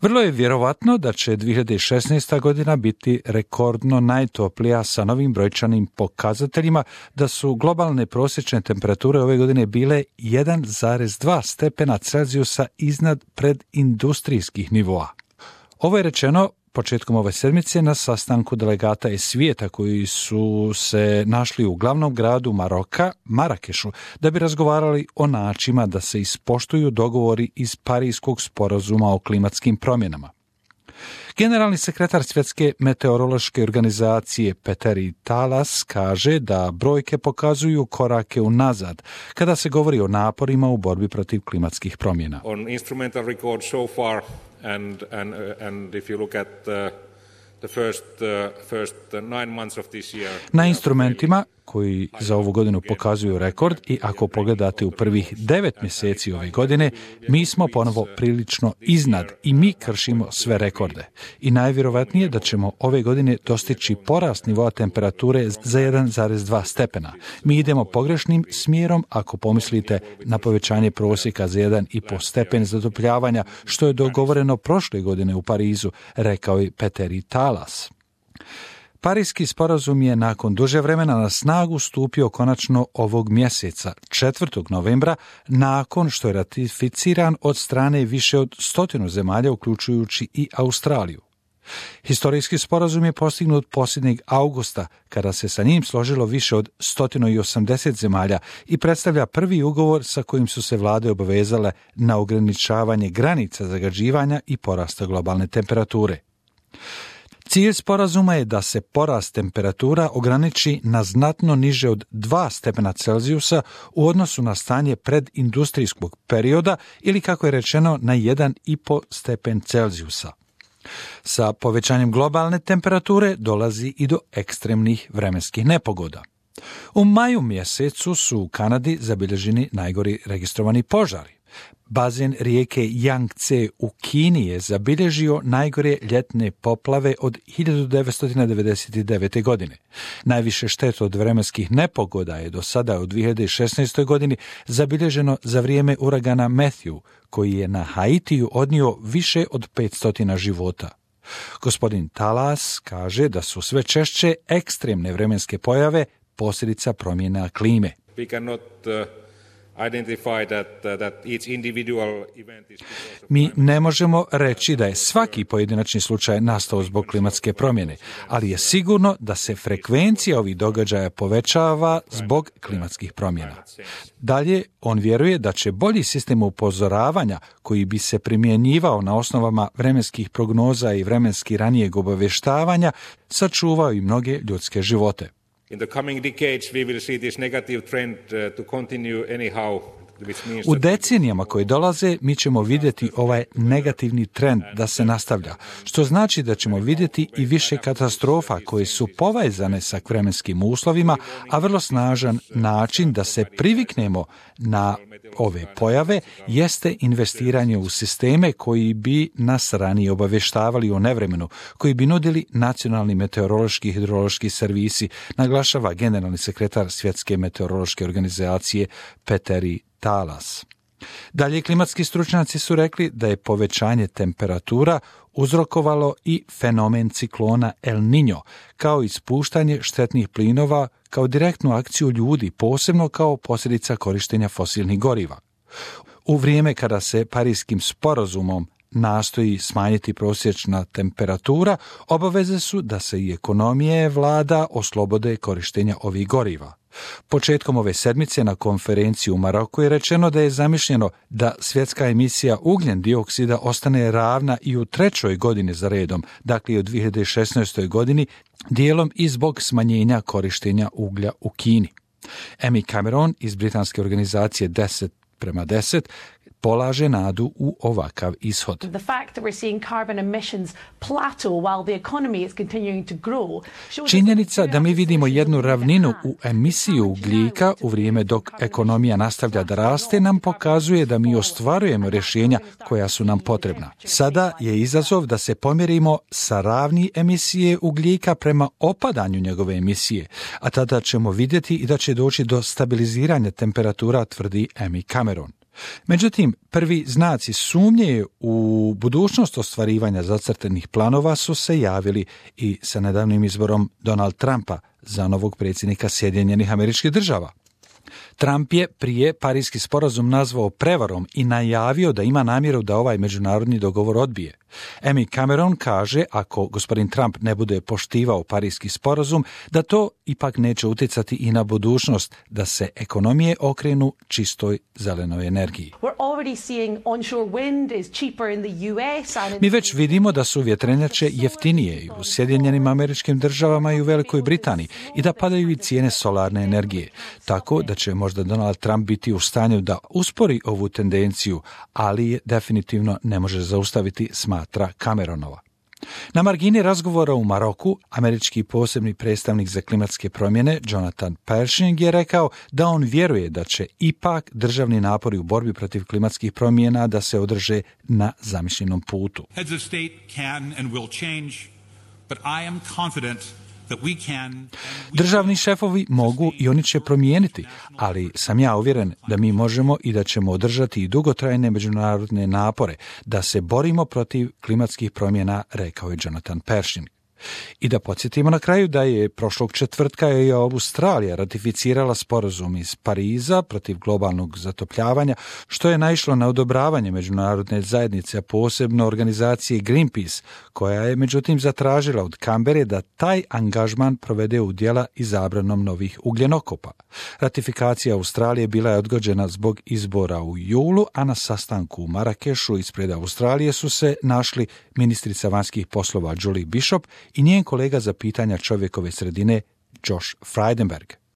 Vrlo je vjerovatno da će 2016. godina biti rekordno najtoplija sa novim brojčanim pokazateljima, da su globalne prosječne temperature ove godine bile 1,2 stepena Celzijusa iznad predindustrijskih nivoa. Ovo je rečeno početkom ove sedmice na sastanku delegata iz svijeta koji su se našli u glavnom gradu Maroka, Marakešu, da bi razgovarali o načinima da se ispoštuju dogovori iz Parijskog sporazuma o klimatskim promjenama. Generalni sekretar Svjetske meteorološke organizacije Petteri Talas kaže da brojke pokazuju korake unazad kada se govori o naporima u borbi protiv klimatskih promjena. On instrumental record so far and if you look at the first 9 months of this year. Na instrumentima koji za ovu godinu pokazuju rekord i ako pogledate u prvih 9 mjeseci ove godine, mi smo ponovo prilično iznad i mi kršimo sve rekorde. I najvjerovatnije da ćemo ove godine dostići porast nivoa temperature za 1,2 stepena. Mi idemo pogrešnim smjerom ako pomislite na povećanje prosjeka za 1,5 stepen zatopljavanja, što je dogovoreno prošle godine u Parizu, rekao je Petteri Talas. Parijski sporazum je nakon duže vremena na snagu stupio konačno ovog mjeseca, 4. novembra, nakon što je ratificiran od strane više od 100 zemalja, uključujući i Australiju. Historijski sporazum je postignut posljednjeg augusta, kada se sa njim složilo više od 180 zemalja i predstavlja prvi ugovor sa kojim su se vlade obavezale na ograničavanje granica zagađivanja i porasta globalne temperature. Cilj sporazuma je da se porast temperatura ograniči na znatno niže od 2 stepena Celzijusa u odnosu na stanje predindustrijskog perioda ili, kako je rečeno, na 1,5 stepen Celzijusa. Sa povećanjem globalne temperature dolazi i do ekstremnih vremenskih nepogoda. U maju mjesecu su u Kanadi zabilježeni najgori registrovani požari. Bazen rijeke Yangtze u Kini je zabilježio najgore ljetne poplave od 1999. godine. Najviše štete od vremenskih nepogoda je do sada u 2016. godini zabilježeno za vrijeme uragana Matthew, koji je na Haitiju odnio više od 500 života. Gospodin Talas kaže da su sve češće ekstremne vremenske pojave posljedica promjena klime. Mi ne možemo reći da je svaki pojedinačni slučaj nastao zbog klimatske promjene, ali je sigurno da se frekvencija ovih događaja povećava zbog klimatskih promjena. Dalje, on vjeruje da će bolji sistem upozoravanja koji bi se primjenjivao na osnovama vremenskih prognoza i vremenski ranijeg obavještavanja sačuvao i mnoge ljudske živote. In the coming decades we will see this negative trend to continue anyhow. U decenijama koje dolaze mi ćemo vidjeti ovaj negativni trend da se nastavlja, što znači da ćemo vidjeti i više katastrofa koje su povezane sa vremenskim uslovima, a vrlo snažan način da se priviknemo na ove pojave jeste investiranje u sisteme koji bi nas ranije obavještavali o nevremenu, koji bi nudili nacionalni meteorološki i hidrološki servisi, naglašava generalni sekretar Svjetske meteorološke organizacije Petteri Talas. Dalje, klimatski stručnjaci su rekli da je povećanje temperatura uzrokovalo i fenomen ciklona El Niño, kao ispuštanje štetnih plinova kao direktnu akciju ljudi, posebno kao posljedica korištenja fosilnih goriva. U vrijeme kada se Parijskim sporazumom nastoji smanjiti prosječna temperatura, obaveze su da se i ekonomije vlada oslobode korištenja ovih goriva. Početkom ove sedmice na konferenciji u Maroku je rečeno da je zamišljeno da svjetska emisija ugljen dioksida ostane ravna i u 3. godini za redom, dakle i u 2016. godini, dijelom i zbog smanjenja korištenja uglja u Kini. Amy Cameron iz britanske organizacije 10:10 polaže nadu u ovakav ishod. Činjenica da mi vidimo jednu ravninu u emisiju ugljika u vrijeme dok ekonomija nastavlja da raste nam pokazuje da mi ostvarujemo rješenja koja su nam potrebna. Sada je izazov da se pomjerimo sa ravni emisije ugljika prema opadanju njegove emisije, a tada ćemo vidjeti i da će doći do stabiliziranja temperatura, tvrdi Amy Cameron. Međutim, prvi znaci sumnje u budućnost ostvarivanja zacrtanih planova su se javili i sa nedavnim izborom Donald Trumpa za novog predsjednika Sjedinjenih Američkih Država. Trump je prije Pariski sporazum nazvao prevarom i najavio da ima namjeru da ovaj međunarodni dogovor odbije. Amy Cameron kaže, ako gospodin Trump ne bude poštivao Pariski sporazum, da to ipak neće utjecati i na budućnost da se ekonomije okrenu čistoj zelenoj energiji. Mi već vidimo da su vjetrenjače jeftinije i u Sjedinjenim Američkim Državama i u Velikoj Britaniji i da padaju i cijene solarne energije, tako da će možda Donald Trump biti u stanju da uspori ovu tendenciju, ali je definitivno ne može zaustaviti, smatra Cameronova. Na margini razgovora u Maroku, američki posebni predstavnik za klimatske promjene Jonathan Pershing je rekao da on vjeruje da će ipak državni napori u borbi protiv klimatskih promjena da se održe na zamišljenom putu. Heads of state can and will change, but I am confident that we can. Državni šefovi mogu i oni će promijeniti, ali sam ja uvjeren da mi možemo i da ćemo održati i dugotrajne međunarodne napore da se borimo protiv klimatskih promjena, rekao je Jonathan Pershing. I da podsjetimo na kraju da je prošlog četvrtka i Australija ratificirala sporazum iz Pariza protiv globalnog zatopljavanja, što je naišlo na odobravanje međunarodne zajednice, a posebno organizacije Greenpeace, koja je međutim zatražila od Kambere da taj angažman provede u djela i zabranom novih ugljenokopa. Ratifikacija Australije bila je odgođena zbog izbora u julu, a na sastanku u Marakešu ispred Australije su se našli ministrica vanjskih poslova Julie Bishop i njen kolega za pitanja čovjekove sredine Josh Frydenberg.